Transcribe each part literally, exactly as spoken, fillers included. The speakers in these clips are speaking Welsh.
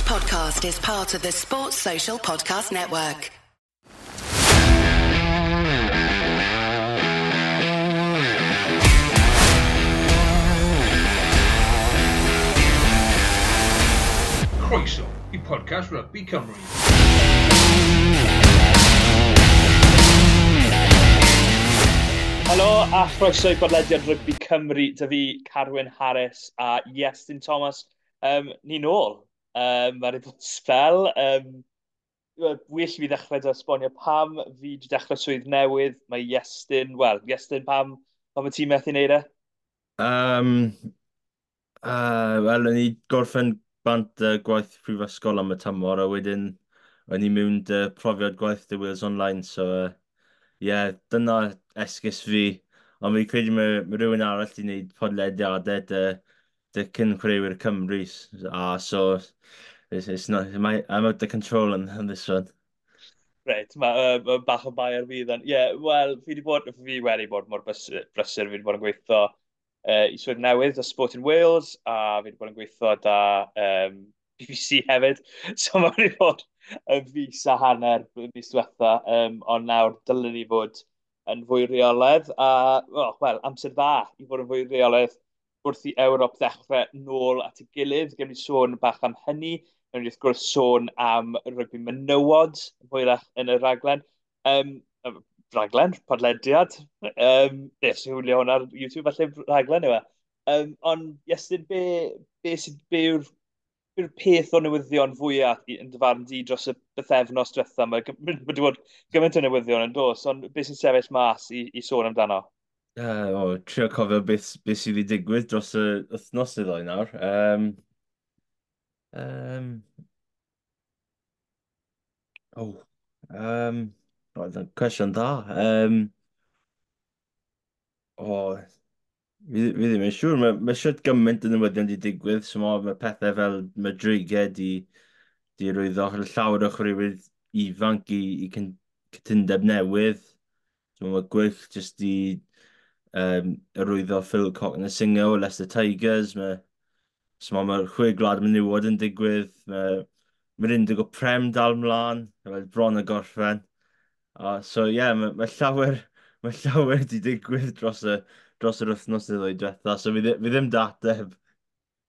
podcast is part of the Sports Social Podcast Network. Croeso i podcast Rugby Cymru. Helo a chroeso i bodlediad Rygbi Cymru, dy fi Carwyn Harris a Iestyn Thomas. Um, ni nôl. Um, Mae'n bod sbel. Um, well i fi ddechrau dy esbonio pam fi wedi dechrau swydd newydd. Mae Iestyn, wel, Iestyn, pam, pam y ti'n methu wneud e? Um, uh, Wel, o'n i gorffen bant uh, gwaith prifysgol am y tymor, a wedyn o'n i mewn dy profiad gwaith dy Wales Online, so uh, yeah, dyna esgus fi. Ond fi'n credu mae, mae rhywun arall wedi gwneud podlediadau dy, dy cyn chwaraewyr Cymru, a so it's, it's not, my, I'm out of control on, on this one. Reit, mae uh, bach o bai ar fi then. Ie, yeah, wel, fi wedi bod, fi wedi bod mor brysur, brysur, fi wedi bod yn gweithio uh, i swydd newydd o Sport in Wales, a fi wedi bod yn gweithio da um, B B C hefyd. So mae wedi bod yn fis a hanner mis diwetha, um, ond nawr dylen ni fod yn fwy reolaidd, a, oh, wel, amser dda i fod yn fwy reolaidd wrth i Ewrop ddechrau nôl at ei gilydd. Gewn ni sôn bach am hynny, gewn ni wrth gwrs sôn am rygbi menywod hwyrach yn y raglen. Um, raglen, podlediad. Um, Nes i hwylio hwnna ar YouTube, falle raglen yw e. Um, ond, Iestyn, be, be, sydd, be yw'r yw'r peth o newyddion fwyaf yn dy farn di dros y bythefnos diwetha? Mae wedi bod gymaint o newyddion yn dos, ond beth sy'n sefyll mas i, i sôn amdano? Uh, o, trio cofio beth, beth sydd wedi digwydd dros y wythnos neu ddoi nawr. Um, um, oh, um, oh, cwestiwn dda. Um, oh, fi, fi ddim yn siŵr. Mae, mae siwt gymaint o newyddion wedi digwydd. So mae, mae pethau fel Madrigau di, di rwyddo llawer o chwaraewyr ifanc i, i cytundeb newydd. So mae Gweilch jyst di um, arwyddo Phil Cokanasiga o Leicester Tigers. Mae, so mae, mae chwe gwlad menywod yn digwydd. Mae, mae'r Indigo Prem dal mlaen, mae bron y gorffen. Uh, so ie, yeah, mae, mae llawer, mae llawer wedi digwydd dros y, dros yr wythnos neu ddwy diwetha, so fi, fi ddim dateb.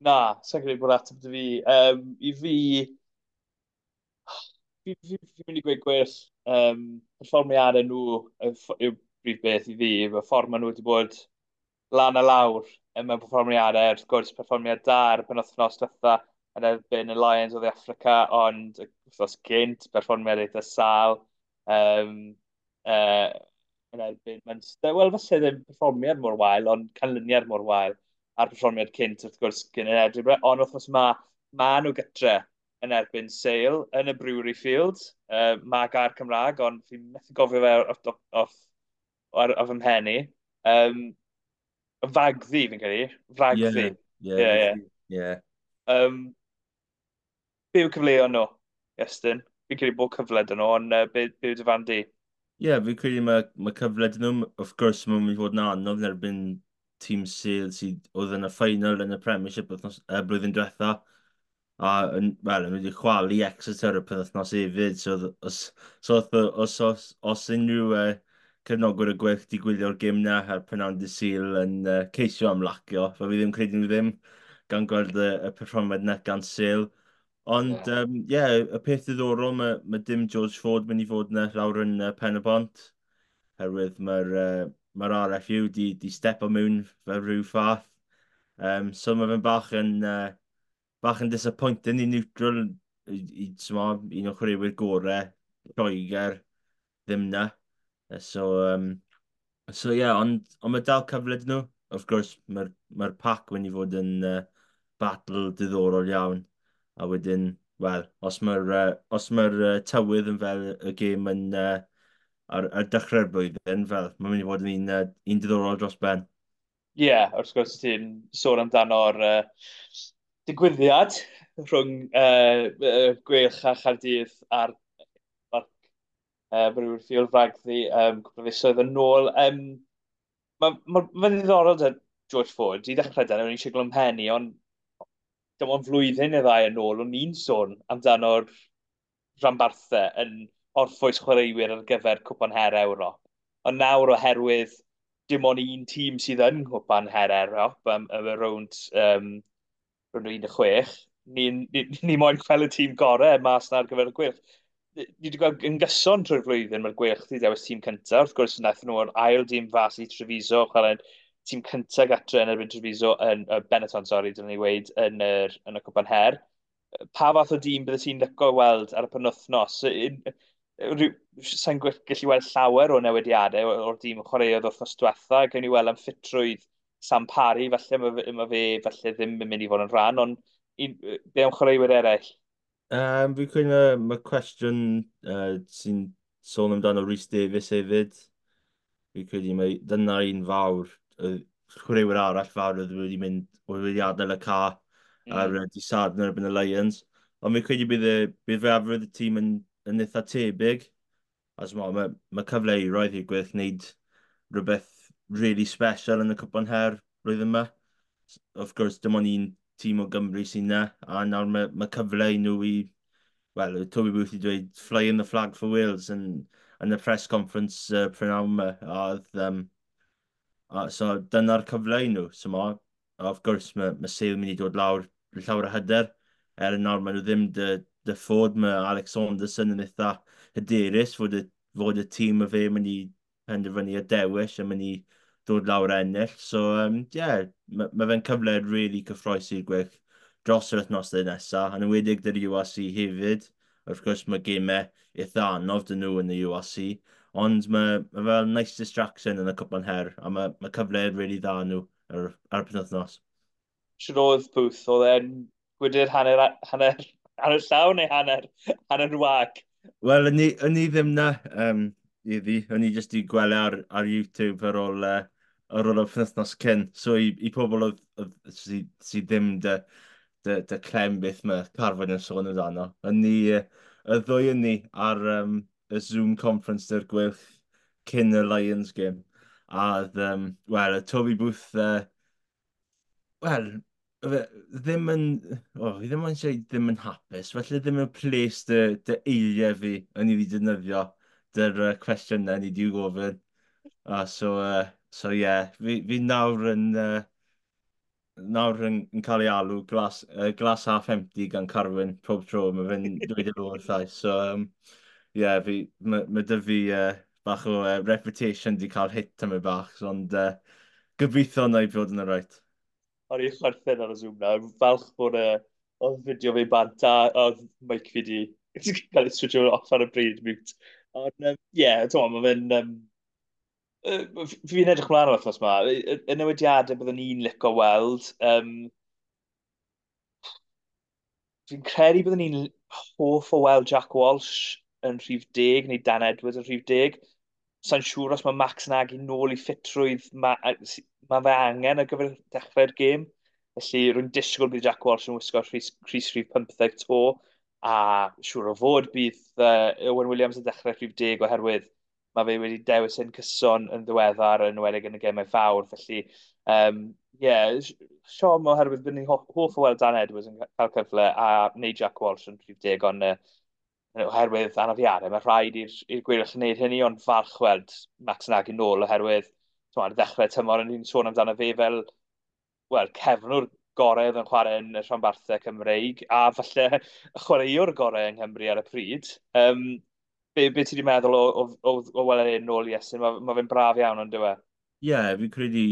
Na, sa'n credu bod ateb dy fi. Um, I fi, fi, fi, fi'n mynd i gweud gwell, um, perfformiadau nhw yw brif beth i fi, y ffordd maen nhw wedi bod lan a lawr mewn perfformiadau, wrth gwrs perfformiad da ar y penwythnos diwetha yn erbyn y Lions o Dde Affrica, ond wythnos gynt, perfformiad eitha sâl, um, uh, yn erbyn Munster. Wel, falle ddim perfformiad mor wael, ond canlyniad mor wael a'r perfformiad cynt, wrth gwrs, gyn yn Edinburgh. Ond wythnos ma, ma nhw gytre yn erbyn Sale yn y Brewery Field. Uh, mae gair Cymraeg, ond fi'n methu gofio fe off, off, off, off, off fy mhen i. Um, Fagddu, fi'n credu. Fragddu. Ie, ie, ie. Um, be yw cyfleoedd nhw, Iestyn? Fi'n credu bod cyfle dyn nhw, ond uh, be, be yw dy farn di? Ie, yeah, fi'n credu mae, mae cyfle dyn nhw. Of course, mae'n mynd i fod yn anodd yn erbyn tîm Sale sydd oedd yn y final yn y Premiership wythnos, uh, blwyddyn diwetha. A, yn, wel, yn wedi chwalu Exeter y penwythnos hefyd. So, os, so, os, os, os unrhyw uh, cefnogwyr y Gweilch di gwylio'r gêm na ar prynawn dydd Sul yn uh, ceisio ymlacio. Fe fi ddim credu nhw ddim gan gweld y, y perfformiad na gan Sale. Ond, ie, um, yeah, y peth diddorol, mae, mae dim George Ford mynd i fod yna lawr yn uh, Pen y Bont. Herwydd mae'r uh, mae R F U di, di stepo mewn fel rhyw fath. Um, so mae fe'n bach yn, uh, bach yn disappointing i neutral, i, i, i, un o chwaraewyr gorau, Lloegr, ddim na. So, um, so yeah, ond, ond mae dal cyfle dyn nhw. Of course, mae'r mae pac mynd i fod yn uh, battle diddorol iawn. A wedyn, wel, os mae'r uh, os mae'r uh, tywydd yn fel y gêm yn, uh, ar, ar dechrau'r blwyddyn, fel, mae'n mynd i fod yn un, uh, un diddorol dros ben. Ie, yeah, wrth gwrs ti'n sôn amdano'r uh, digwyddiad rhwng uh, uh, Gweilch a Chaerdydd ar Parc uh, Brewery Field Ragddu um, cwpl o fisoedd yn ôl. Um, Mae'n ma, ma ddiddorol dy George Ford, i ddechrau dyn, o'n i'n siglo ym mhen i, ond dim ond flwyddyn neu ddau yn ôl, o'n i'n sôn amdano'r rhanbarthau yn orffwys chwaraewyr ar gyfer Cwpan Her Ewrop. Ond nawr oherwydd dim ond un tîm sydd yn Cwpan Her Ewrop, um, y rownd, um, rownd un deg chwech, ni, ni, ni moyn gweld y tîm gorau mas na ar gyfer y Gweilch. Ni wedi gweld yn gyson trwy'r flwyddyn mae'r Gweilch wedi dewis tîm cyntaf. Wrth gwrs, wnaethon nhw'r ail dîm fas i Treviso, chwarae tîm cyntaf gatre yn erbyn Treviso, yn uh, Benetton, sori, dyna ni weud, yn, yr, yn y Cwpan Her. Pa fath o dîm bydde ti'n licio weld ar y penwythnos? Sa'n gallu weld llawer o newidiadau o'r dîm chwaraeodd wythnos diwetha. Gawn ni weld am ffitrwydd Sam Parry, falle mae, ma fe falle ddim yn mynd i fod yn rhan, ond un, be am chwaraewyr eraill? Um, fi'n credu mae cwestiwn uh, sy'n sôn amdano Rhys Davies hefyd. Fi'n credu mae dyna un fawr, chwaraewyr arall fawr oedd wedi mynd, oedd wedi adael y ca mm. ar uh, dydd Sadwrn erbyn y Lions. Ond fi'n credu bydd, y, bydd fwyafrif y tîm yn, yn eitha tebyg. As mae, mae, mae cyfle i roedd i'r Gweilch wneud rhywbeth really special yn y Cwpan Her blwyddyn yma. Of course, dim ond un tîm o Gymru sy'n na, a nawr mae, mae cyfle i nhw i, wel, Toby Booth i dweud "flying the flag for Wales" yn, yn y press conference uh, prynhawn yma. A, oedd, um, a, so dyna'r cyfle i nhw. So ma, of course, mae, mae Sale mynd i dod lawr llawer o hyder. Er yn nawr maen nhw ddim dy, dy ffod, mae Alex Saunderson yn eitha hyderus fod y, fod y tîm y fe mynd i penderfynu y dewis a mynd i dod lawr ennill. So, um, yeah, mae ma fe'n cyfle really cyffrous i'r Gweilch dros yr wythnosau nesaf, yn enwedig dy'r U R C hefyd. Wrth gwrs, mae gemau eitha anodd dyn nhw yn y U R C, ond mae, mae fel nice distraction yn y Cwpan Her, a mae, mae cyfle really dda nhw ar, ar y penwythnos. Siwr oedd Booth, oedd e'n gwydyr hanner, hanner, hanner llawn neu hanner, hanner wag? Wel, yn ni, yn ni ddim na, um, iddi. O'n i jyst i gweld ar, ar YouTube ar ôl, uh, ar ôl y penwythnos cyn. So i, i pobl oedd, oedd, sydd sy ddim dy, dy, dy clem beth mae Carfyn yn sôn amdano. Yn ni, uh, y ddwy yn ni ar um, y Zoom conference dy'r Gweilch cyn y Lions game. A oedd, um, wel, y Toby Booth, uh, wel, fe ddim yn, oh, fi ddim yn dweud ddim yn hapus, felly ddim yn ples dy, dy eiriau fi yn i fi defnyddio dy'r uh, cwestiynau ni di gofyn. A so, uh, so yeah, fi, fi nawr yn, uh, nawr yn, yn cael ei alw glass, uh, glass half empty gan Carwyn pob tro, mae fe'n dweud y wrthai. So, um, yeah, fi, mae ma dy fi uh, bach o uh, reputation di cael hit am y bach, ond uh, gobeithio na i fod yn y right. O'n i'n chwerthin ar y Zoom na. Falch bod y oedd fideo fi bant a oedd mic fi di cael ei switcho off ar y bryd, mute. Ond, um, ie, yeah, mae fe'n... Um, fi'n edrych mlaen o'r wythnos yma. Y, y newidiadau byddwn ni'n licio weld. Um, fi'n credu byddwn ni'n hoff o weld Jack Walsh yn rhif deg neu Dan Edwards yn rhif deg. Sa'n siŵr os mae Max Nagy nôl i ffitrwydd mae ma fe angen ar gyfer dechrau'r gêm. Felly rwy'n disgwyl bydd Jack Walsh yn wisgo crys, crys rhif pymtheg to, a siŵr o fod bydd uh, Owen Williams yn dechrau rhif deg oherwydd mae fe wedi dewis yn cyson yn ddiweddar, yn enwedig yn y gemau fawr. Felly, um, yeah, siom oherwydd bydd ni'n hoff, hoff o weld Dan Edwards yn cael cyfle a neu Jack Walsh yn rhif deg, ond uh, oherwydd anafiadau, mae rhaid i'r Gweilch wneud hynny, ond falch weld Max Nagy nôl oherwydd ar ddechrau tymor yn ni'n sôn amdano fe fel, wel, cefnwr gorau oedd yn chwarae yn y rhanbarthau Cymreig a falle y chwaraewr gorau yng Nghymru ar y pryd. Um, be, be ti wedi meddwl o, o, o, o weld e'n nôl i Estyn? Mae ma fe'n braf iawn, ond dyw e? Ie, yeah, fi'n credu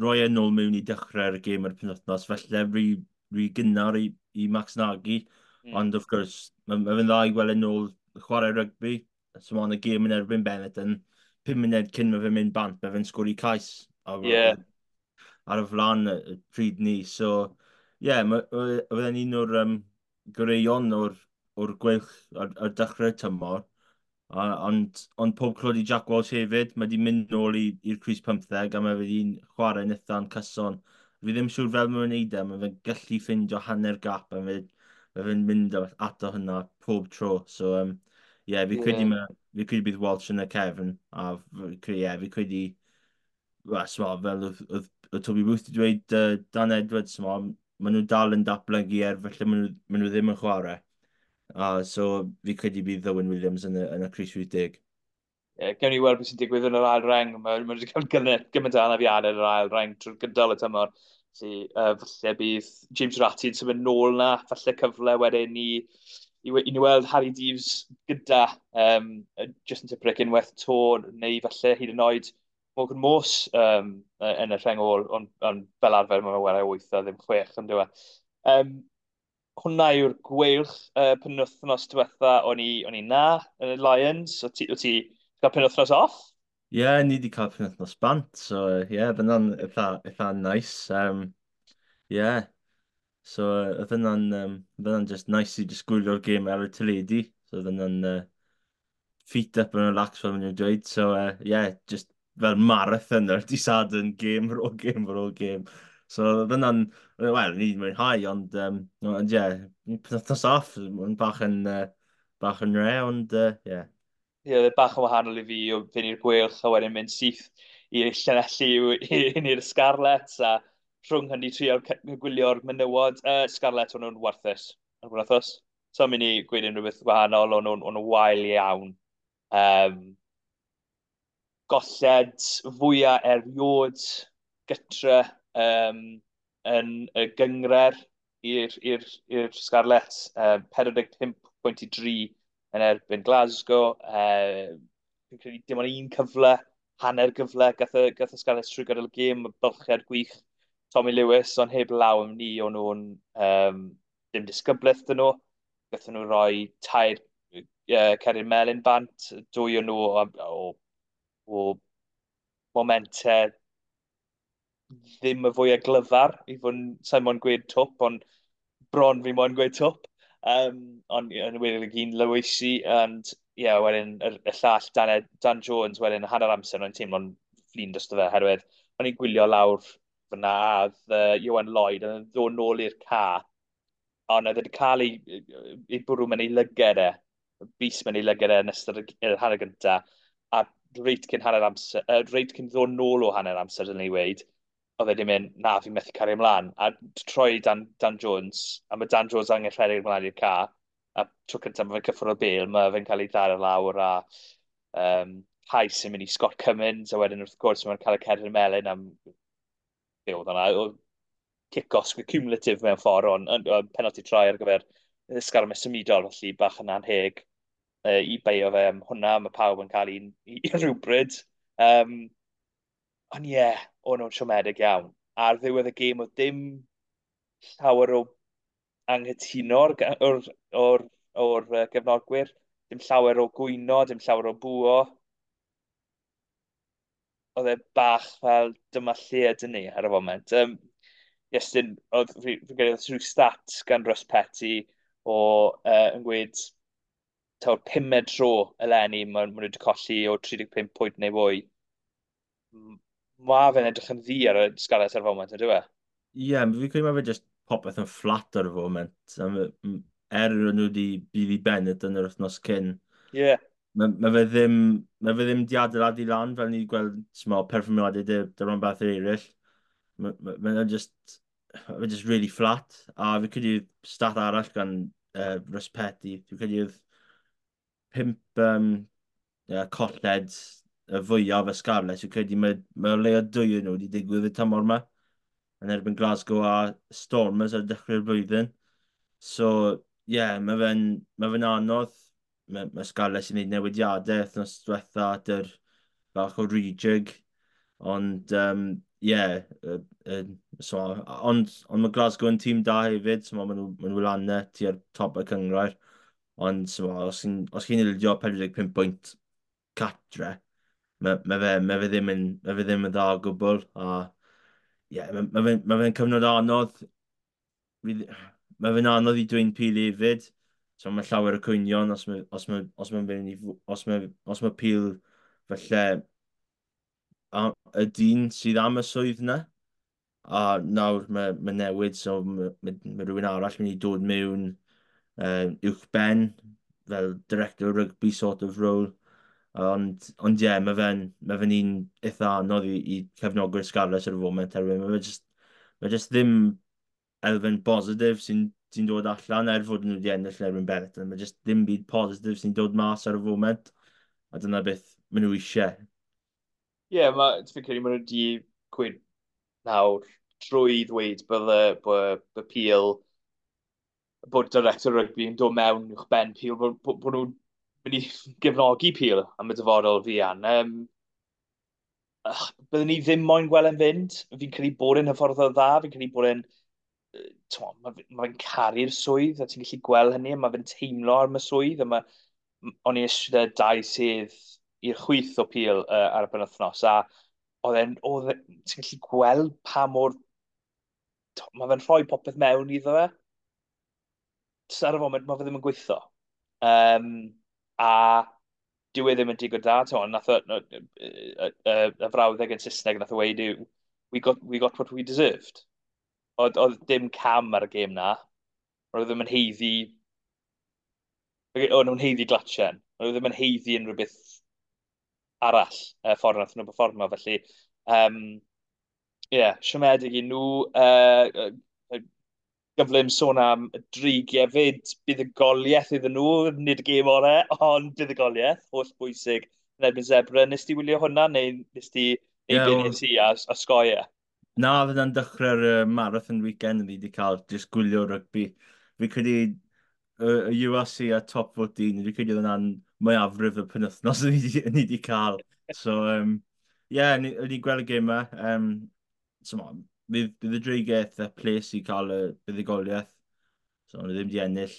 roi e nôl mewn i dechrau'r gêm ar y penwythnos, felly rhy, rhy gynnar i, i Max Nagy. Mm. Ond, of course, mae ma fe'n dda i gweld e nôl chwarae rygbi. So mae'n y gêm yn erbyn Benetton, pum munud cyn mae fe'n mynd bant, mae fe'n sgori cais ar, yeah. ar y flan y pryd ni. So, ie, yeah, mae fe'n un o'r um, goreuon o'r, o'r Gweilch ar, ar dechrau tymor. A, ond, ond pob clod i Jack Walsh hefyd, mae wedi mynd nôl i'r crys pymtheg a mae wedi'n chwarae yn eitha'n cyson. Fi ddim siŵr fel mae'n wneud e, mae fe'n gallu ffindio hanner gap a mae fe'n mynd ato hynna pob tro. So, um, yeah, fi credu, yeah. fi credu bydd Walsh yn y cefn, a fi, yeah, fi credu, well, sma, fel oedd, oedd, oedd Toby Booth wedi dweud uh, Dan Edwards, sma, maen nhw dal yn datblygu er, felly maen nhw, maen nhw ddim yn chwarae. A so fi credu bydd Owen Williams yn y, yn y crys wyth deg. Yeah, gewn ni weld beth sy'n digwydd yn yr ail reng. Mae ma wedi cael gymaint o anafiadau yn yr ail reng trwy'r gydol y tymor. Felly, uh, falle bydd James Ratti yn symud nôl na, falle cyfle wedyn i, i, i ni weld Harri Deaves gyda um, Justin Tipuric unwaith to, neu falle hyd yn oed Morgan Morse um, yn y rheng ôl, ond on, fel arfer mae'n chwarae wyth a ddim chwech, yn dweud. Um, hwnna yw'r Gweilch. uh, penwythnos diwetha o'n i, o'n i na yn y Lions. O ti, o ti cael penwythnos off? Ie, yeah, ni wedi cael penwythnos bant, so ie, yeah, fyna'n eitha, eitha nice. Um, yeah. So, oedd hynna'n um, oedd just nice i just gwylio'r gêm ar y teledu. So, oedd hynna'n uh, feet up and relax fel maen nhw'n dweud. So, uh, yeah, just fel marathon ar dydd Sadwrn, game ar ôl game ar ôl game. So, oedd hynna'n, wel, ni wedi mwynhau, ond, um, ond ie, penwythnos off, mae'n bach yn, uh, bach yn re, ond, uh, ie. Ie, yeah, bach yn wahanol i fi o fynd i'r Gweilch a wedyn mynd syth i'r Llanelli i'r Scarlets a rhwng hynny trio gwylio'r menywod. Uh, Scarlets, o'n nhw'n warthus ar wythnos. So, mynd i gweud unrhyw beth wahanol, o'n nhw'n nhw wael iawn. Um, golled fwyaf erioed gytre um, yn y gynghrair i'r i'r Scarlets. Um, pedwar deg pump pwynt i dri yn erbyn Glasgow. Uh, fi'n credu dim ond un cyfle, hanner gyfle, gath y, gath y Scarlets trwy gydol y gêm, bylchiad gwych Tommy Lewis, ond heb law am ni, o'n nhw'n um, dim disgyblaeth dyn nhw. Gathon nhw roi tair uh, cerdyn melyn bant, dwy o'n nhw o, o, o momentau ddim y fwyaf glyfar, i fod yn, sa'n moyn gweud twp, ond bron fi moyn gweud twp. Um, ond yn wedi gyn Lewisi, and ie, yeah, wedyn y, y llall Dan, Dan Jones, wedyn hanner amser, o'n teimlo'n flin drosto fe, herwydd o'n i'n gwylio lawr fyna, a oedd uh, Ioan Lloyd yn ddod nôl i'r ca, ond oedd wedi cael ei, ei bwrw mewn ei lyged e, bys mewn ei lyged e yn ystod y hanner gyntaf, a reit cyn hanner amser, uh, reit cyn ddod nôl o hanner amser, dylen ni weud, oedd e wedi mynd, na, fi'n methu cario ymlaen. A troi Dan, Dan Jones, a mae Dan Jones angen rhedeg ymlaen i'r ca, a tro cyntaf mae fe'n cyffwrdd o bêl, mae fe'n cael ei ddar lawr a um, cais yn mynd i Scott Cummins, a wedyn wrth gwrs mae'n cael y cerdyn melyn am be oedd hwnna, kick-off cumulative mewn ffordd, ond on, on, penalty try ar gyfer sgarmes symudol, felly bach yn anheg uh, i beio fe am hwnna, mae pawb yn cael un i, i rhywbryd. Um, ond ie, yeah, o'n nhw'n siomedig iawn. Ar ddiwedd y gêm oedd dim llawer o anghytuno o'r, o'r, o'r, o'r gefnogwyr, dim llawer o gwyno, dim llawer o bŵo. Oedd e bach fel dyma lle ydyn ni ar y foment. Um, Iestyn, oedd fi, fi credu oedd rhyw stat gan Russ Petty o uh, yn gweud taw'r pumed tro eleni maen ma nhw wedi colli o tri deg pump pwynt neu fwy. Mae fe'n edrych yn ddu ar y Scarlets ar y foment, ynddo fe? Ie, yeah, fi'n credu mae fe just popeth yn fflat ar y foment. Er nhw wedi Billy Bennett yn yr wythnos cyn. Ie. Yeah. Mae ma fe ddim, mae fe ddim di adeiladu lan fel ni gweld small, perfformiadau dy, dy rhan beth eraill. Mae ma, ma just, ma just really flat. A fi credu stat arall gan uh, Russ Petty. Fi'n credu oedd pump um, yeah, colled y fwyaf y Scarlets. Fi'n credu mae, mae o leia dwy nhw wedi digwydd y tymor yma yn erbyn Glasgow a Stormers ar dechrau'r blwyddyn. So, ie, yeah, mae fe'n ma fe anodd. Mae, mae Scarlets yn gwneud newidiadau wythnos diwetha dy'r bach o rejig. Ond, um, ie, uh, uh, so, ond, ond mae Glasgow yn tîm da hefyd, so maen nhw, ma nhw lan 'na tua'r top y cynghrair. Ond, so, os chi'n os chi'n ildio pedwar deg pump pwynt catre, mae, mae, fe, mae fe ddim yn, mae fe ddim yn dda o gwbl. A, ie, yeah, mae, mae fe'n ma fe cyfnod anodd. Mae fe'n anodd i dwyn Peel hefyd. So mae llawer o cwynion os mae, os mae, os mae, fynd i, os mae, os mae Peel falle a, y dyn sydd am y swydd yna. A nawr mae, mae newid, so mae, mae, mae rhywun arall mynd i dod mewn uh, uwch ben, fel director rugby sort of role. Ond, ond ie, yeah, mae fe'n mae fe'n un eitha anodd i, i cefnogwyr Scarlets ar y foment, herwydd mae fe just, mae just ddim elfen positif sy'n sy dod allan er fod nhw wedi ennill yn erbyn Benetton. Mae just ddim byd positif sy'n dod mas ar y foment. A dyna beth maen nhw eisiau. Ie, yeah, ma, fi'n credu maen nhw wedi gweud nawr trwy ddweud bod y, bod, bod Peel, bod director rygbi yn dod mewn uwch ben Peel, bod, bod, bod nhw'n mynd i gefnogi Peel am y dyfodol fuan. Um, byddwn ni ddim moyn gweld e'n fynd. Fi'n credu bod e'n hyfforddwr dda, fi'n credu bod e'n mae ma fe'n caru'r swydd, a ti'n gallu gweld hynny, a mae fe'n teimlo am y swydd, a mae, o'n i eisiau dau sydd i'r chwith o Peel uh, ar y penwythnos, a oedd e'n, oedd ti'n gallu gweld pa mor, mae fe'n rhoi popeth mewn iddo fe. Just ar y foment, mae fe ddim yn gweithio. Um, a dyw e ddim yn digon da, ti'n nath o, y, y, y, y frawddeg yn Saesneg nath o weud yw, we got, we got what we deserved. Oedd, oedd dim cam ar y gêm na. Oedd ddim yn haeddu... Oedd nhw'n haeddu glatchen. Oedd ddim yn haeddu unrhyw beth arall y ffordd nath nhw performo. Felly, um, yeah, siomedig i nhw. Uh, gyflym sôn am y dreigiau fyd, buddugoliaeth iddyn nhw, nid y gêm orau, ond buddugoliaeth, holl bwysig yn erbyn Zebre. Nes ti wylio hwnna, neu nes ti neu yeah, be nes i a, a sgoi e? Na, fydd yna'n dechrau'r uh, marathon weekend fi wedi cael just gwylio rygbi. Fi credu y U R C a Top fourteen, fi credu oedd yna'n mwyafrif y penwythnos ni wedi cael. So, um, yeah, ni wedi gweld y gêm yma. Um, so, bydd, bydd y dreigiau eitha ples i cael y buddugoliaeth. So, nhw ddim wedi ennill,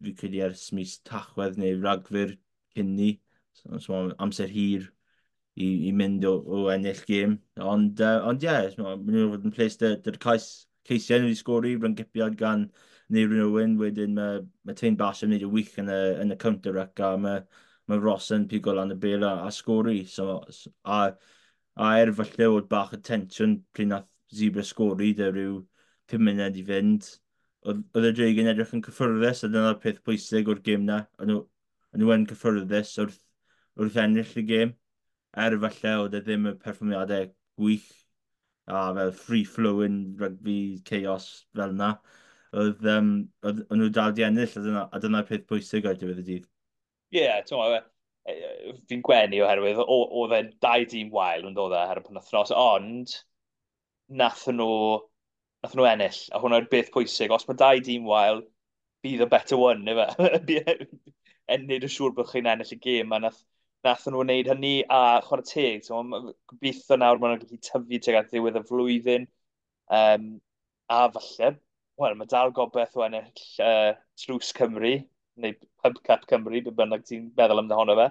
fi credu ers mis Tachwedd neu Ragfyr cyn ni. So, so amser hir i, i mynd o, o ennill gêm. Ond, uh, ond ie, yeah, maen nhw'n fod yn ples dy'r cais, ceisiau nhw wedi sgori, ryngipiad gan Neirin Owen, wedyn mae, mae Taine Basham yn gwneud y wych yn y, yn y counter-ruck, a mae, mae Ross yn pigo lan y bel a, a sgori. So, a, a er falle oedd bach o tensiwn pryd nath Zebre sgori, dy rhyw pum munud i fynd. Oedd, oedd y Dreigiau'n edrych yn cyffyrddus, a dyna'r peth pwysig o'r gêm na. O'n nhw, nhw yn cyffyrddus wrth, wrth ennill y gêm. Er falle oedd e ddim y perfformiadau gwych a fel free-flowing rugby chaos fel yna. Oedd, um, oedd, oedd nhw dal di ennill, a dyna, a dyna'r peth pwysig ar diwedd y dydd. Ie, yeah, ti'n meddwl, fi'n gwenu oherwydd, oedd e dau dîm wael yn dod e ar y penwythnos, ond nath nhw, nath nhw ennill, a hwnna'r beth pwysig. Os mae dau dîm wael, bydd y better one, ife? Ennill yn siŵr bod chi'n ennill y gêm, a nath, nath nhw wneud hynny, a chwarae teg. So, gobeithio nawr maen nhw'n gallu tyfu tuag at ddiwedd y flwyddyn. Um, a falle, wel, mae dal gobeith o ennill uh, Tlws Cymru, neu Pub Cup Cymru, be bynnag ti'n meddwl amdano fe.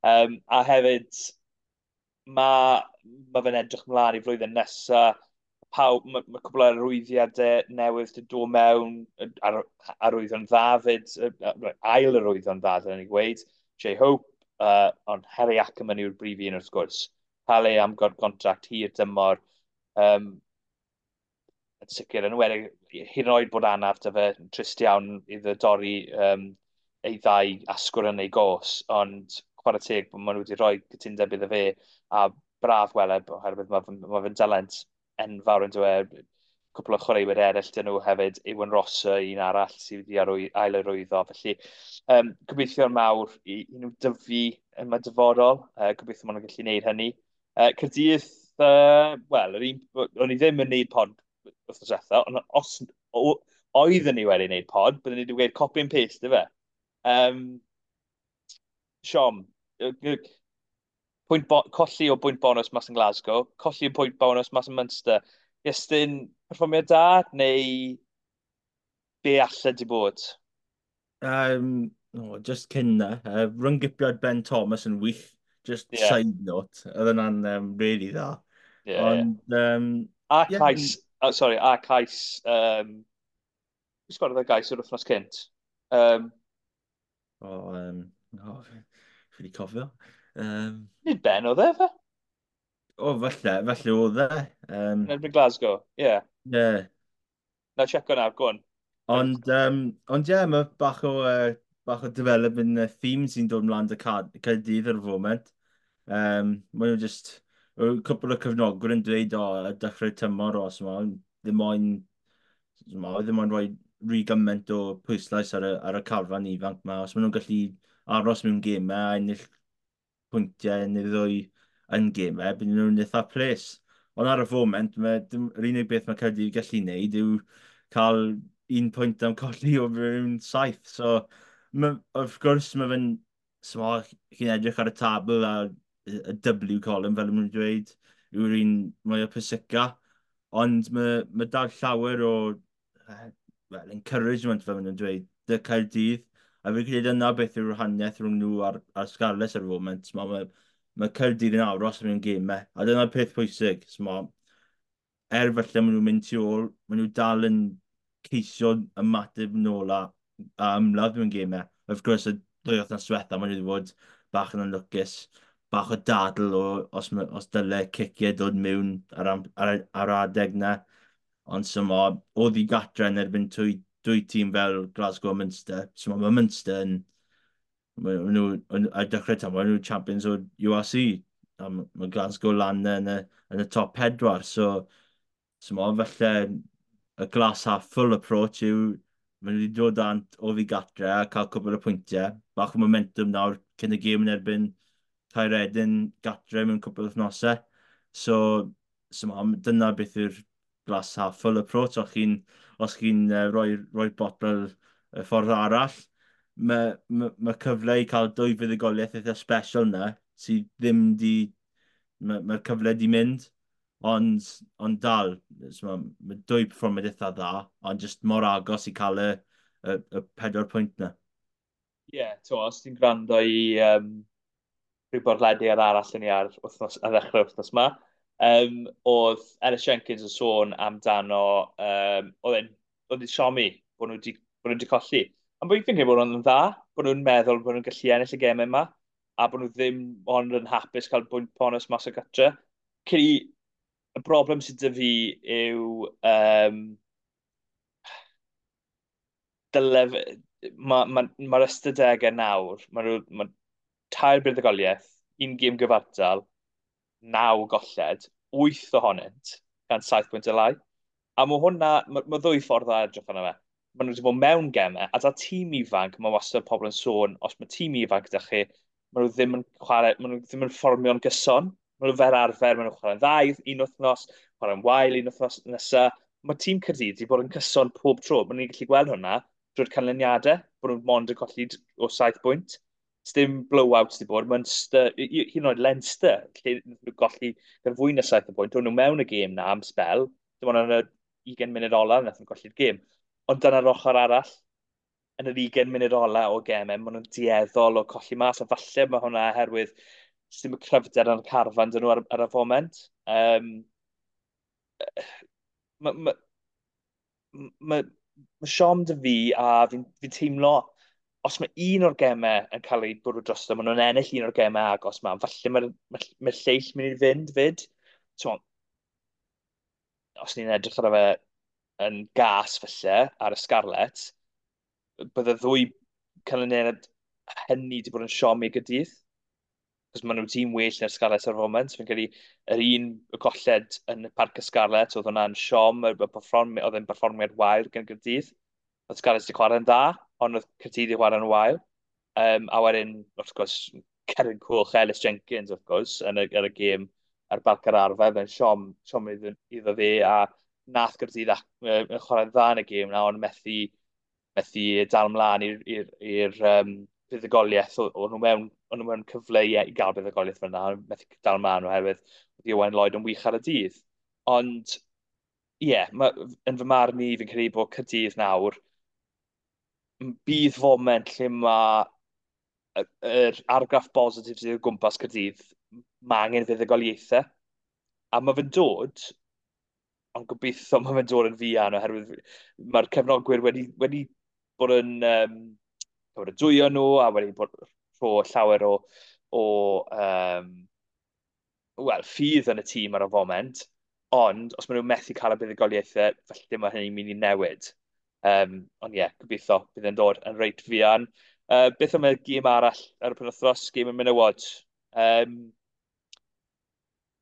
Um, a hefyd, mae ma fe'n edrych mlaen i flwyddyn nesaf. Pawb, mae ma cwbl o arwyddiadau newydd wedi dod mewn, ar, arwyddo'n dda fyd, ail arwyddo'n dda, dyna ni gweud, Jay Hope, uh, ond Harry Ackerman yw'r brif un wrth gwrs. Cael ei am contract hir dymor, um, yn sicr, yn enwedig, hyd yn oed bod anaf dy fe, trist iawn iddo dorri um, ei ddau asgwrn yn ei gos, ond chwarae teg bod maen nhw wedi rhoi cytundeb iddo fe, a braf weled, oherwydd mae ma fe'n dalent enfawr yn dweud, cwpl o chwaraewyr eraill dyn nhw hefyd, Ewan Rosser, un arall sydd wedi arwy, ail-arwyddo. Felly, um, gobeithio'n mawr i, i nhw dyfu yn y dyfodol, uh, gobeithio maen nhw'n gallu gwneud hynny. Uh, Caerdydd, uh, wel, o'n i ddim yn gwneud pod wythnos diwetha, ond os oeddwn ni wedi gwneud pod, byddwn ni wedi gweud copy and paste, ife? Um, Siom, pwynt bo colli o bwynt bonus mas yn Glasgow, colli o pwynt bonus mas yn Munster. Iestyn, perfformiad da, neu be alle di bod? Um, no, just cyn na. Uh, ryngipiad Ben Thomas yn wych. Just yeah. Side note. Oedd yna'n um, really dda. Yeah, Ond, yeah. Um, a yeah. Cais, oh, sorry, a cais, um, pwy sgorodd y gais yr wythnos cynt? Um, oh, um, oh, fi wedi cofio. Um, Nid Ben oedd e, fe? O, falle, falle oedd e. Um, Yn erbyn Glasgow, ie. Yeah. Yeah. Na, checo nawr, go on. Ond, um, ond ie, yeah, mae bach o, uh, bach o development uh, theme sy'n dod mlaen dy Caerdydd ar y foment. Um, mae nhw just, cwpl o cyfnogwyr yn dweud, o, oh, dechrau tymor os yma, ddim moyn Oedd ddim ond rhoi rhy gymaint o pwyslais ar y, ar y carfan ifanc yma. Os maen nhw'n gallu aros mewn gemau a ennill pwyntiau neu ddwy yn gemau, bydden nhw'n eitha ples. Ond ar y foment, mae, dim, yr unig beth mae Caerdydd gallu wneud yw cael un pwynt am colli o fewn saith. So, ma, wrth gwrs, mae fe'n... So, chi'n edrych ar y tabl a y W column, fel maen nhw'n dweud, yw'r un mwy o pwysica. Ond mae, mae dal llawer o well, encouragement, fel maen nhw'n dweud, dy Caerdydd. A fi'n credu yna beth yw'r wahaniaeth rhwng nhw a'r, a'r Scarlets ar y foment. Mae, mae, mae Caerdydd yn aros mewn gemau. A dyna'r peth pwysig. So, ma, er falle maen nhw'n mynd tu ôl, maen nhw dal yn ceisio ymateb nôl a, a ymladd mewn gemau. Wrth gwrs, y ddwy wythnos diwetha, maen nhw wedi bod bach yn anlwcus, bach o dadl o os, os dyle ciciau dod mewn ar, ar, ar adeg na. Ond so ma, oedd i gatre yn erbyn dwy, dwy tîm fel Glasgow a Munster. So ma, mae Munster yn... Maen nhw, ar dechrau tymor, maen nhw champions o'r U R C. A mae Glasgow lan yn y, yn y top pedwar. So, so ma, falle y glass half full approach yw maen nhw wedi dod ant o fi gatre a cael cwbl o pwyntiau. Bach o momentum nawr cyn y gêm yn erbyn Caeredin gatre mewn cwbl o wythnosau. So, so ma, dyna beth yw'r glass half full approach. Os chi'n os chi'n uh, rhoi, rhoi botol y ffordd arall, mae ma, ma cyfle i cael dwy fuddugoliaeth eitha special na, sydd ddim di... Mae'r ma cyfle di mynd, ond, ond dal, so mae ma dwy perfformiad eitha dda, ond just mor agos i cael y, y, y pedwar pwynt na. Ie, yeah, to, os ti'n gwrando i um, rhyw bodlediad arall yn ni ar, wythnos, ar ddechrau wythnos yma, um, oedd Ellis Jenkins yn sôn amdano, um, oedd e'n oedd e'n siomi bod nhw wedi, bod nhw wedi colli. Ond fi'n credu bod nhw'n dda, bod nhw'n meddwl bod nhw'n gallu ennill y gemau yma, a bod nhw ddim ond yn hapus cael bwynt bonus mas o gatre. Credu, y broblem sydd 'da fi yw um, dyle, mae'r ma, ma, ma ystadegau nawr, mae nhw, ma tair buddugoliaeth, un gêm gyfartal, naw golled, wyth ohonynt, gan saith pwynt y lai. A mae hwnna, mae ma ddwy ffordd o edrych arno fe. Maen nhw wedi bod mewn gemau, a da tîm ifanc, mae wastad pobl yn sôn, os mae tîm ifanc gyda chi, maen nhw ddim yn chwarae, maen nhw ddim yn fformio'n gyson. Maen nhw fel arfer, maen nhw'n chwarae'n dda un wythnos, chwarae'n wael un wythnos nesaf. Mae tîm Caerdydd wedi bod yn cyson pob tro. Maen nhw'n gallu gweld hwnna drwy'r canlyniadau, bod nhw'n mond yn colli o saith pwynt. Dim blowouts wedi bod. Munster, hyd yn oed Leinster, lle nhw golli gan fwy na saith o bwynt. O'n nhw mewn y gêm na am sbel. Dim ond yn y ugain munud ola nath nhw golli'r gêm. Ond dyna'r ochr arall, yn yr ugain munud ola o gemau, maen nhw'n dueddol o colli mas, a falle mae hwnna oherwydd sydd y cryfder yn y carfan dyn nhw ar, ar y foment. Um, mae ma, ma, ma siom dy fi, a fi'n fi teimlo, os mae un o'r gemau yn cael ei bwrw drosto, maen nhw'n ennill un o'r gemau agos ma, falle mae'r ma, ma lleill mynd i fynd fyd. So, os ni'n edrych ar fe yn gas falle ar y Scarlets, bydde ddwy canlyniad hynny wedi bod yn siom i Gaerdydd. Cos maen nhw'n tîm well na'r Scarlets ar y foment. Fi'n credu yr un y colled yn y Parc y Scarlets, oedd hwnna'n siom, y perfformi, oedd e'n perfformiad wael gan Gaerdydd. Oedd Scarlets wedi chwarae'n dda, ond oedd Caerdydd wedi chwarae'n wael. Um, a wedyn, wrth gwrs, Cerin Coch, Ellis Jenkins, wrth gwrs, yn y, yn y gêm ar Barc yr Arfau, fe'n siom, siom iddo, iddo fe, a nath Gaerdydd yn chwarae'n dda yn y gêm na, ond methu, methu dal mlaen i'r um, buddugoliaeth. O'n nhw mewn, o'n nhw mewn cyfle i, i gael buddugoliaeth fyna, ond methu dal mlaen oherwydd oedd Owain Lloyd yn wych ar y dydd. Ond, ie, yeah, yn fy marn i, fi'n credu bod Caerdydd nawr, bydd foment lle mae yr argraff bositif sydd o gwmpas Caerdydd, mae angen fuddugoliaethau. A mae fe'n dod, ond gobeithio mae fe'n dod yn fuan, oherwydd mae'r cefnogwyr wedi, wedi bod yn um, bod yn dwyo nhw, a wedi bod rho llawer o, o um, well, ffydd yn y tîm ar y foment, ond os maen nhw'n methu cael y buddugoliaethau, felly mae hynny'n mynd i newid. Um, ond ie, yeah, gobeithio bydd e'n dod yn reit fuan. Uh, beth am y gêm arall ar y penwythnos, gêm y menywod? Um,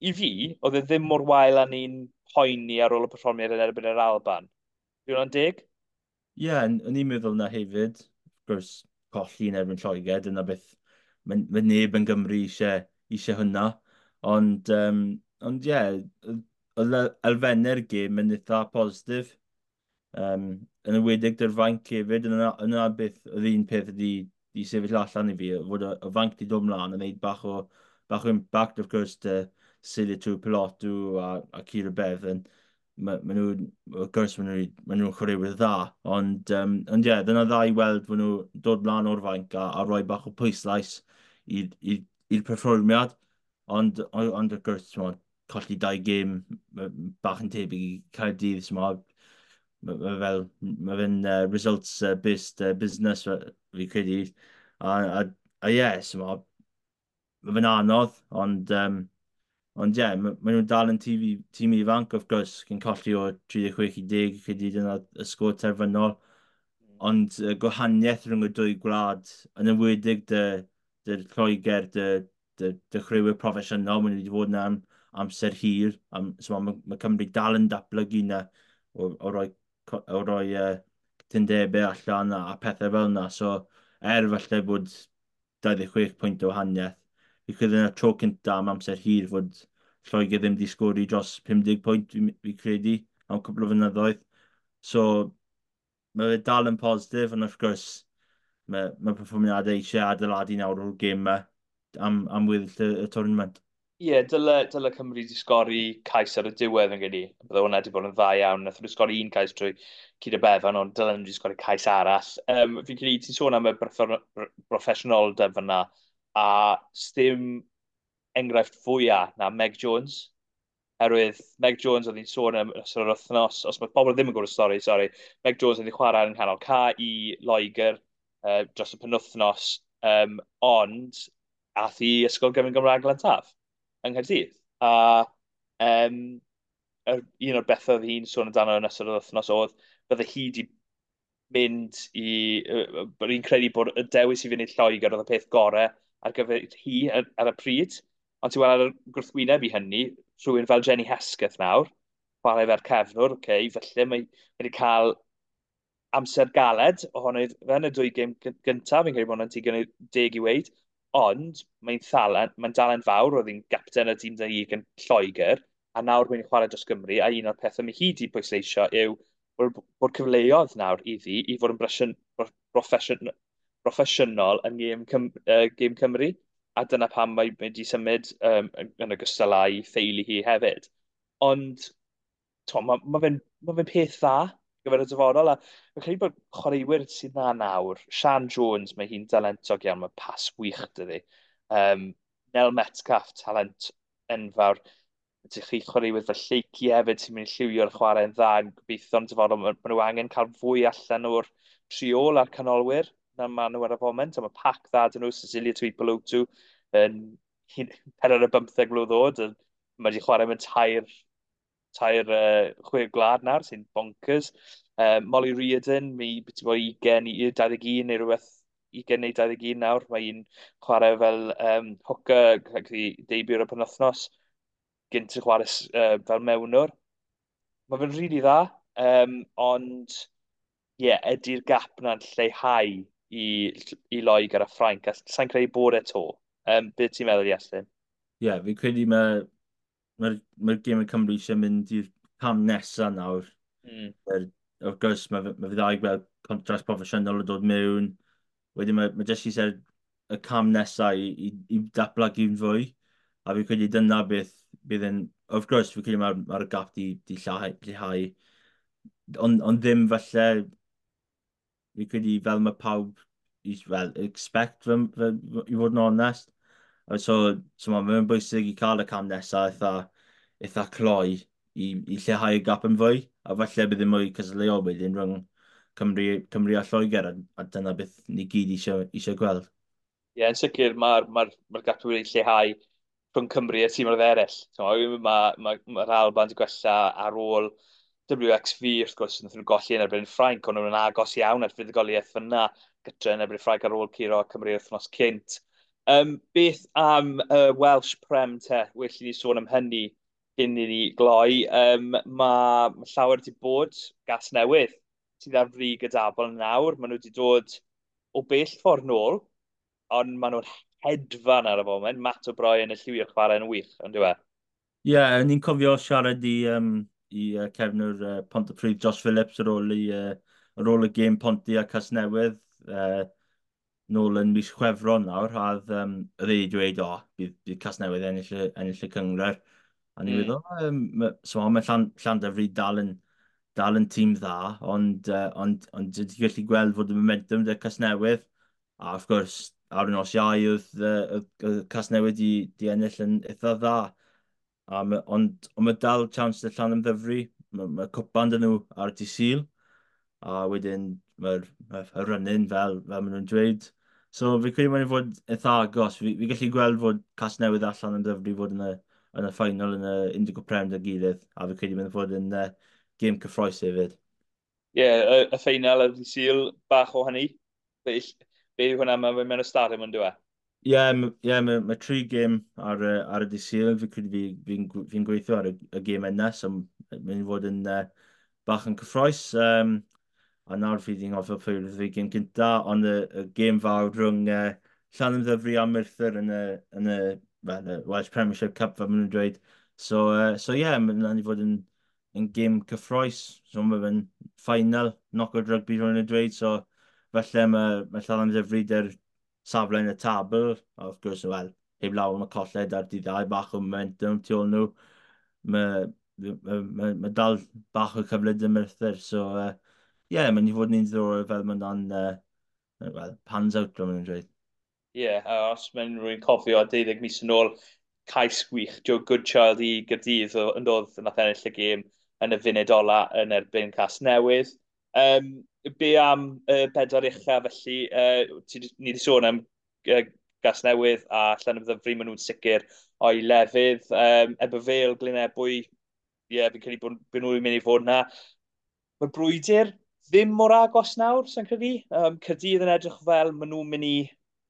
I fi, oedd e ddim mor wael â ni'n poeni ar ôl y perfformiad yn erbyn yr Alban. Yw hwnna'n deg? Ie, yeah, o'n i'n meddwl na hefyd. Of course, colli yn erbyn Lloegr, dyna beth mae, mae neb yn Gymru eisiau, eisiau hwnna. Ond, um, ond ie, yeah, oedd elfennau'r gêm yn eitha positif. Um, yn enwedig dy'r fainc hefyd, yna, yna beth, oedd un peth ydi di sefyll allan i fi, fod y, y fainc di dod mlaen yn gwneud bach o, bach o impact, of course, dy Sili Tuipulotu a, a Keira Bevan. Ma, ma nhw, wrth gwrs, maen nhw'n ma nhw chwaraewyr dda, ond, um, ond ie, yeah, dyna dda i weld fod nhw dod mlaen o'r fainc a, a rhoi bach o pwyslais i'r perfformiad, ond, ond, ond wrth gwrs, t'mod, colli dau gêm bach yn tebyg i Caerdydd, t'mod, mae ma fel, mae fe'n uh, results-based uh, business, fi credu. A, a, a ie, yeah, so mae fe'n anodd, ond, um, ond ie, yeah, maen ma nhw'n dal yn tîm, tîm ifanc, of course, cyn colli o tri deg chwech i deg, credu dyna y sgôr terfynol. Ond uh, gwahaniaeth rhwng y dwy gwlad, yn enwedig dy, dy Lloegr, dy, dy, dy chwaraewyr proffesiynol, maen nhw wedi fod yna am amser hir. Am, so mae, mae Cymru dal yn datblygu yna o, o roi, o roi uh, cytundebau allan a, a pethau fel yna. So, er falle bod dau ddeg chwech pwynt o wahaniaeth, fi credu yna tro cynta am amser hir fod Lloegr ddim wedi sgori dros pum deg pwynt, fi, fi credu, am cwpl o flynyddoedd. So, mae fe dal yn positif, ond wrth gwrs, mae, mae perfformiadau eisiau adeiladu nawr o'r gêm yma am, am weddill y, y tournament. Ie, yeah, dyle, dyle Cymru wedi sgori cais ar y diwedd yn gyda. Bydde hwnna wedi bod yn dda iawn. Nath nhw sgori un cais trwy Keira Bevan, ond dyle nhw wedi sgori cais arall. Um, fi'n credu ti'n sôn am y broffesiynoldeb fyna, a sdim enghraifft fwyaf na Meg Jones. Herwydd Meg Jones oedd hi'n sôn am ystod yr wythnos, os mae pobl ddim yn gwybod y stori, sori, Meg Jones oedd hi'n chwarae yn canol ca i Loegr uh, dros y penwythnos, um, ond ath i Ysgol Gyfun Gymraeg Glantaf yng Nghaerdydd. A um, yr, un o'r bethau oedd hi'n sôn amdano yn ystod yr wythnos oedd bydde hi wedi mynd i... Uh, bod hi'n credu bod y dewis i fynd i Lloegr oedd y peth gorau ar gyfer hi ar, ar y pryd. Ond ti'n weld ar y gwrthwyneb i hynny, rhywun fel Jenny Hesketh nawr, chwarae fel cefnwr, okay, felly mae wedi cael amser galed ohono fe yn y dwy gêm gyntaf, fi'n credu bod hwnna'n digon deg i weud, ond mae'n thalent, mae'n dalent fawr, oedd hi'n gapten y tîm dau yn Lloegr, a nawr mae'n chwarae dros Gymru, a un o'r pethau mae hi wedi pwysleisio yw bod, bod cyfleoedd nawr iddi i fod yn broffesiwn, broffesiynol yn gêm, Cym, uh, gêm Cymru, a dyna pam mae wedi symud um, yn ogystal â'i theulu hi hefyd. Ond mae ma fe'n ma fe peth dda gyfer y dyfodol, a fi'n credu bod chwaraewyr sydd dda nawr, Sian Jones, mae hi'n dalentog iawn, mae pas wych dydi. Um, Nel Metcalf, talent enfawr. Ydych chi chwaraewyr fel Lleucu hefyd sy'n mynd i lliwio'r chwarae'n dda, yn gobeithio yn dyfodol. Mae ma nhw angen cael fwy allan o'r triol a'r canolwyr na maen nhw ar y foment, a mae pac dda dyn nhw, Sisilia Tuipulotu, yn pedwar ar bymtheg mlwydd oed, mae wedi chwarae mewn tair, tair uh, chwe gwlad nawr, sy'n bonkers. Uh, Molly Reardon, mae beth i bod ugain i dau ddeg un neu rhywbeth, ugain neu dau ddeg un nawr, mae hi'n chwarae fel um, hooker, i debut ar y penwythnos, gynt yn chwarae uh, fel mewnwr. Mae fe'n rili dda, um, ond ie, yeah, ydy'r gap na'n lleihau i, i Loegr a Ffrainc, a sa'n credu bod e to. Um, beth ti'n meddwl, Iestyn? Ie, yeah, fi'n credu mae'r ma, ma gêm y Cymru eisiau mynd i'r cam nesaf nawr. Mm. Er, wrth gwrs, mae ma fe dda i gweld contract proffesiynol yn dod mewn. Wedyn mae, mae jyst eisiau y cam nesaf i, i, i datblygu'n fwy. A fi'n credu dyna beth bydd yn... Wrth gwrs, fi'n credu mae'r ma gap di, di lleihau. lleihau. Ond on ddim falle... Fi'n credu fel mae pawb i, well, expect fy, fy, i fod yn onest. So, so mae'n bwysig i cael y cam nesaf eitha, eitha cloi i, i lleihau y gap yn fwy. A falle bydd yn mwy cystadleuol wedyn rhwng Cymru, Cymru a Lloegr, a, a dyna beth ni gyd eisiau, eisiau gweld. Ie, yeah, yn sicr mae'r ma, ma gap wedi lleihau rhwng Cymru a tîmoedd eraill. Mae'r ma, ma, ma Alban wedi gwella ar ôl W X V, wrth gwrs, wnaethon nhw golli yn erbyn Ffrainc, ond nhw'n agos iawn at fuddugoliaeth fyna, gytre yn erbyn Ffrainc ar ôl curo Cymru wythnos cynt. Um, beth am y uh, Welsh Prem te? Well i ni sôn am hynny cyn i ni gloi, um, mae ma llawer wedi bod Gasnewydd sydd ar frig y dabl nawr. Maen nhw wedi dod o bell ffordd nôl, ond maen nhw'n hedfan ar y foment. Matt O'Brien y lliwio'r chwarae yn wych, ond dyw e? Ie, yeah, ni'n cofio siarad i, um, i uh, cefnwr uh, Pontypridd Josh Phillips ar ôl, i, uh, ar ôl y gêm Ponty a Casnewydd uh, nôl yn mis Chwefror nawr, a oedd um, oedd e wedi dweud, o, bydd, bydd Casnewydd ennill y, ennill y cynghrair. A ni'n mm. meddwl, um, so mae Llan, Llandyfri dal yn, dal yn tîm dda, ond, uh, ond, ond ti'n gallu gweld fod y momentum 'da Casnewydd. A wrth gwrs, ar y nos Iau oedd, uh, oedd Casnewydd di, di ennill yn eitha dda. A ma, ond, ond mae dal chance 'da Llanymddyfri. Mae, mae cwpan 'da nhw ar dydd Sul. A wedyn mae'r ma run-in fel, fel maen nhw'n dweud. So fi credu mae'n fod eitha agos. Fi, fi gallu gweld fod Casnewydd a Llanymddyfri fod yn y, yn y final yn y Indigo Prem 'da gilydd. A fi credu mae'n fod yn uh, gêm cyffrous hefyd. Ie, yeah, y, y ffeinal ar dydd Sul, bach o hynny. Be, be yw hwnna, mae'n mewn y stadiwm yn dweud? Ie, yeah, yeah, mae ma tri gêm ar, ar y dydd Sul. Fi credu fi'n fi, fi, fi gweithio ar y, y gêm yna, so mae'n fod yn uh, bach yn cyffrous. Um, a nawr fi wedi anghofio pwy oedd y gêm cynta, ond y, y gêm fawr rhwng uh, Llanymddyfri a Merthyr yn y, yn y, well, y Welsh Premiership Cup, fel maen nhw'n dweud. So, uh, so yeah, mae'n mynd i fod yn, yn gêm cyffrous. So mae fe'n final, knockout rugby, rhywun yn dweud. So felly mae, mae Llanymddyfri 'da'r safle yn y tabl. A wrth gwrs, wel, heb law am y colled ar dydd Iau, bach o momentum tu ôl nhw. Mae, mae, mae, mae dal bach o cyfle 'da Merthyr. So, uh, yeah, mae'n i fod yn un ddiddorol fel mae'n dan, uh, well, pans out, fel maen nhw'n dweud. Ie, yeah, a os mae'n rhywun cofio deuddeg mis yn ôl, cais gwych, Joe Goodchild i Gaerdydd yn dod nath ennill y gêm yn y funud ola yn erbyn Casnewydd. Um, be am y uh, bedwar ucha felly, uh, ti, ni wedi sôn am uh, Gasnewydd a Llanymddyfri, maen nhw'n sicr o'i lefydd. Um, Ebbw Vale, Glyn Ebwy, ie, yeah, fi'n credu bod, bod nhw'n mynd i fod yna. Mae'r brwydr ddim mor agos nawr, sy'n credu. Um, Caerdydd yn edrych fel maen nhw'n mynd i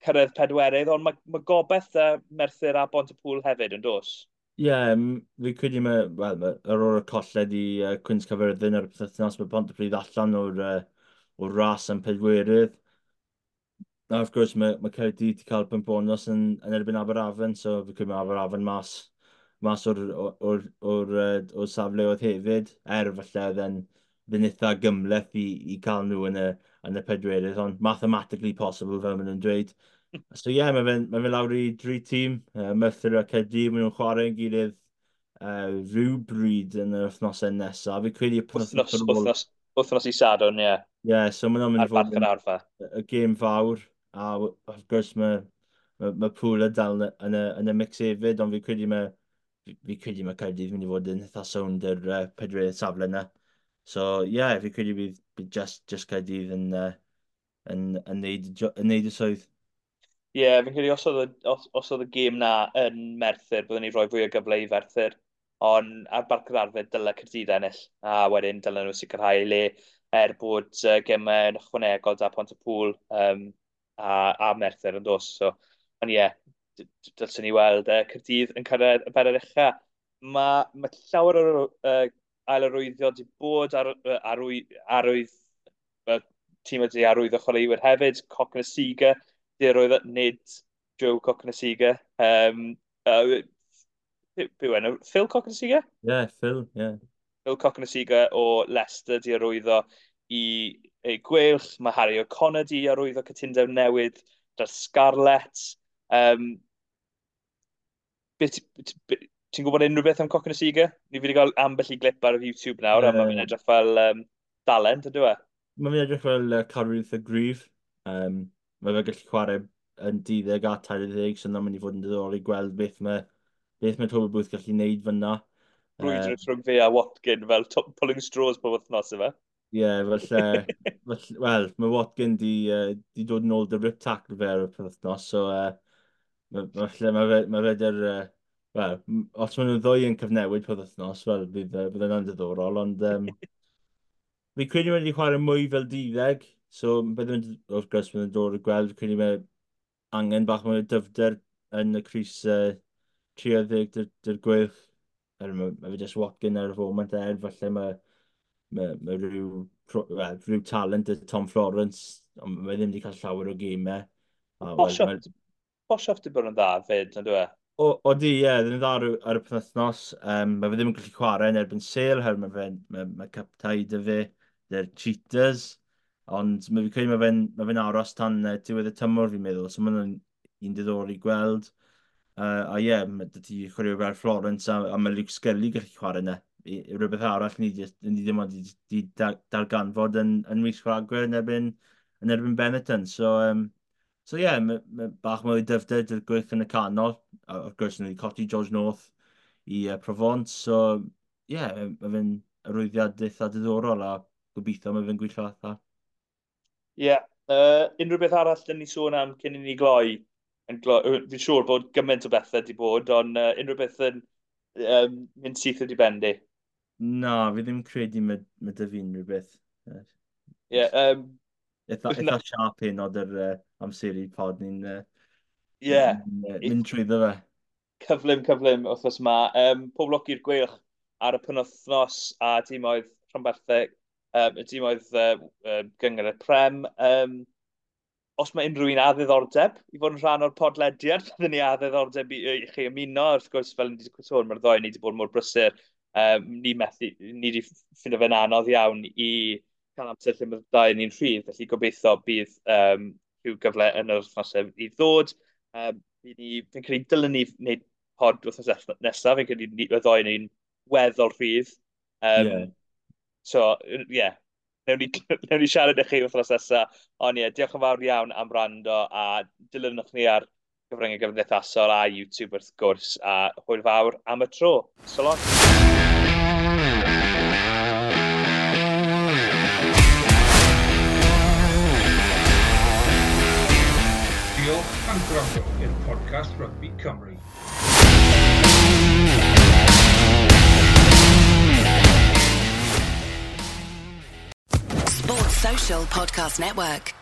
cyrraedd pedwerydd, ond mae, mae gobeith uh, Merthyr a Pontypool hefyd yn dos. Ie, yeah, fi credu mae, wel, ma, ar ôl y colled i uh, Cwins Caerfyrddin ar y pythefnos, mae Pontypridd allan o'r, uh, o'r ras am pedwerydd. A wrth gwrs, mae, mae Caerdydd wedi cael pwynt bonus yn, yn erbyn Aberafan, so fi credu mae Aberafan mas, mas o'r, o'r, o'r, o'r, o'r safleoedd hefyd, er falle oedd e'n fynd eitha gymhleth i, i cael nhw yn y, yn y pedwerydd, ond mathematically possible fel maen nhw'n dweud. So ie, yeah, mae fe'n ma fe lawr i dri tîm, uh, Merthyr a Caerdydd, maen nhw'n chwarae yn gilydd uh, rhywbryd yn yr wythnosau nesaf. Fi credu y wythnos, wythnos, wythnos i Sadwrn, ie. Ie, yeah, so maen nhw'n mynd i fod yn y, y gêm fawr, a wrth gwrs mae, mae, mae Pŵl dal yn y, yn y, yn y mix hefyd, ond fi credu mae, fi, fi credu mae Caerdydd mynd i fod yn eitha sownd yr uh, pedwerydd safle yna. So ie, yeah, fi credu bydd, bydd just, just Caerdydd yn, uh, yn, yn, neud, yn neud y swydd. Ie, yeah, fi'n credu os oedd, y, os, os oedd y gêm na yn Merthyr, byddwn ni rhoi fwy o gyfle i Ferthyr. Ond ar Barc yr Arfau dyle Caerdydd ennill. A wedyn dylen nhw sicrhau le er bod uh, gemau yn ychwanegol da Pontypool um, a, a Merthyr yn dos. So, ond ie, yeah, dylswn ni weld uh, Caerdydd yn cyrraedd y bedair ucha. Mae ma llawer o'r uh, ailarwyddio wedi bod ar, arwy, arwydd, uh, tîm wedi arwyddo chwaraewyr hefyd, Cokanasiga, di arwyddo, nid Joe Cokanasiga. Um, uh, be yw enw? Phil Cokanasiga? Yeah, Phil, yeah. Phil Cokanasiga o Leicester di arwyddo i, i Gweilch. Mae Harry O'Connor di arwyddo cytundeb newydd 'da'r Scarlets. Um, ti'n gwybod unrhyw beth am Cokanasiga? Ni fi wedi cael ambell i glip ar YouTube nawr, yeah. A mae'n edrych fel um, dalent, ydw e? Mae'n edrych fel uh, carwyr eitha gryf. Um, mae fe gallu chwarae yn deuddeg a tair ddeg, so na'n mynd i fod yn diddorol i gweld beth mae, beth mae Toby Booth gallu gwneud fyna. Brwydr uh, rhwng fe a Watkin fel pulling straws pob wythnos yma. Ie, yeah, falle, falle, wel, mae Watkin di, uh, di dod yn ôl 'da rip tackle fe ar y wythnos, so uh, falle mae fe, mae fe 'da'r, uh, wel, os maen nhw'n ddwy yn cyfnewid pob wythnos, wel, bydd, uh, bydd yna'n diddorol, ond um, fi credu wedi chwarae mwy fel deuddeg, so bydd yn, wrth gwrs, bydd yn dod i gweld, fi credu mae angen bach mwy o dyfder yn y crys uh, tri ar ddeg 'da'r Gweilch. Er, mae, mae fe just Watkin ar y foment er, falle mae, mae, mae rhyw, well, rhyw talent y Tom Florence, ond mae ddim wedi cael llawer o gemau. Boshoff, Boshoff di bod yn dda fyd, yn dwi? O, o di, ie, ddim yn dda ar, ar y penwythnos. Um, mae fe ddim yn gallu chwarae yn erbyn Sale, her mae fe, mae, mae captai dy fe, dy'r Cheaters. Ond mae fi credu mae fe'n mae fe aros tan uh, diwedd y tymor fi'n meddwl, so mae'n un diddorol i gweld. Uh, a ie, yeah, mae dy ti chwarae fel Florence a, a mae Luke Scully gallu chwarae yna. I, i rhywbeth arall ni, ni ddim ond wedi darganfod yn, yn mis Rhagfyr yn erbyn, yn erbyn Benetton. So, um, so ie, yeah, mae, mae bach mwy o dyfnder dy'r gwych yn y canol. A wrth gwrs, ni wedi colli George North i uh, Provence. So, ie, yeah, mae fe'n arwyddiad eitha diddorol a gobeithio mae fe'n gweithio allan. Ie, yeah. uh, unrhyw beth arall dyn ni sôn am cyn i ni gloi? Yn gloi fi'n siŵr bod gymaint o bethau wedi bod, ond uh, unrhyw beth yn um, mynd syth wedi bendi? Na, fi ddim credu mae, mae dy fi unrhyw beth. Ie, yeah, um, eitha, eitha siarp hyn oed yr uh, amseru pod ni'n uh, yeah. mynd, uh, mynd trwyddo fe. Cyflym, cyflym wythnos yma. Um, pob lwc i'r Gweilch ar y penwythnos a tîmoedd rhanbarthau, um, y tîmoedd uh, uh, gyngor y Prem. Um, os mae unrhyw un â ddiddordeb i fod yn rhan o'r podlediad, byddwn ni â ddiddordeb i, i chi ymuno. Wrth gwrs, fel ni wedi sôn, mae'r ddoi ni wedi bod mor brysur. Um, ni methu, ni wedi ffindo fe'n anodd iawn i cael amser lle mae'r ddau ni'n rhydd, felly gobeithio bydd um, rhyw gyfle yn yr wythnosau i ddod. Um, fi'n credu dylen ni wneud pod wythnos nesaf, fi'n credu y ddoi ni'n weddol rhydd. Um, yeah. So, ie, yeah. Newn ni, newn ni siarad i chi wythnos nesaf. Ond ie, yeah, diolch yn fawr iawn am wrando a dilynwch ni ar gyfryngau gymdeithasol a YouTube wrth gwrs, a hwyl fawr am y tro. So long. Diolch am gwrando i'r podcast Rugby Cymru. Sports Social Podcast Network.